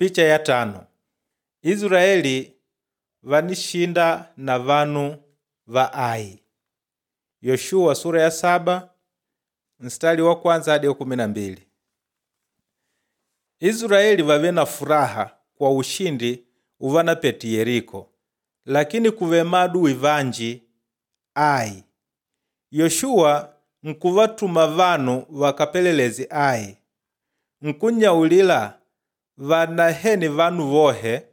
Picha ya tano Israeli vanishinda na vanu va Ai. Yoshua sura ya 7 mstari wa kwanza hadi wa 12. Israeli vave na furaha kwa ushindi uvanapete Yeriko, lakini kuve maadui vanji Ai. Yoshua nkuvatuma vanu vakapelelezi Ai, nkunyaulila vanaheni vanu vohe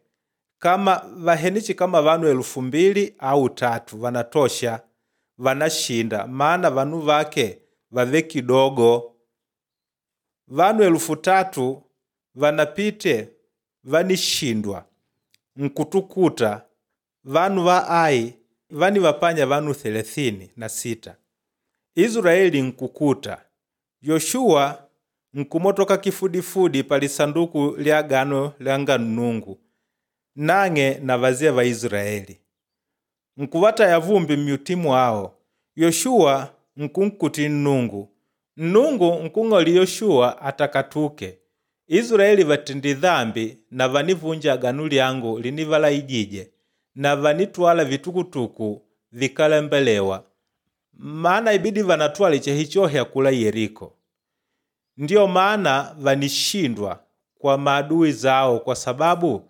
kama vahenichi kama vanu 2000 au 3000 vanatosha vanashinda, maana vanu vake vave kidogo. Vanu 3000 vanapite vanishindwa nkutukuta vanu va Ai vanivapanya vanu 36. Israeli nkukuta Yoshua nkumotoka kifudifudi pa lisanduku lya agano lyanga Nnungu nang'e na vazee va Israeli. Nkuvataya vumbi mmyuti mwao. Yoshua nkunkuti Nnungu. Nnungu nkung'oli Yoshua atakatuke. Israeli vatendi dhambi na vanivunja agano lyangu linivalaijije na vanitwala vitukutuku vikalembelewa, maana ibidi vanatwale chehichohe akula Yeriko. Ndiyo maana vanishindwa kwa maadui zao kwa sababu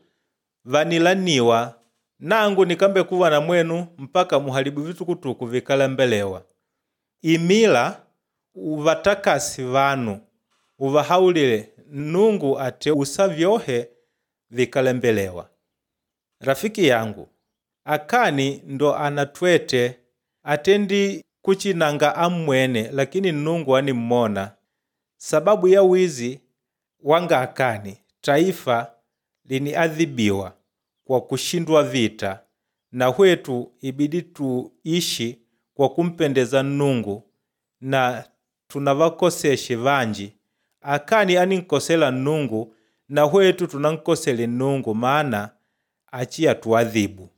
vanilaniwa nangu nikambe kuva na mwenu mpaka muharibu vitukutuku vikalembelewa. Imila uvatakasi vanu uvahaulile Nnungu ate usa vyohe vikalembelewa. Rafiki yangu, Akani ndo anatwete atendi kuchinanga amwene, lakini Nnungu animmona. Sababu ya wizi wanga Akani, taifa liniadhibiwa kwa kushindwa vita, na hwetu ibidi tuishi kwa kumpendeza Nnungu na tunavakoseshe vanji. Akani animkosela Nnungu na hwetu tunankosele Nnungu maana achiya tuadhibu.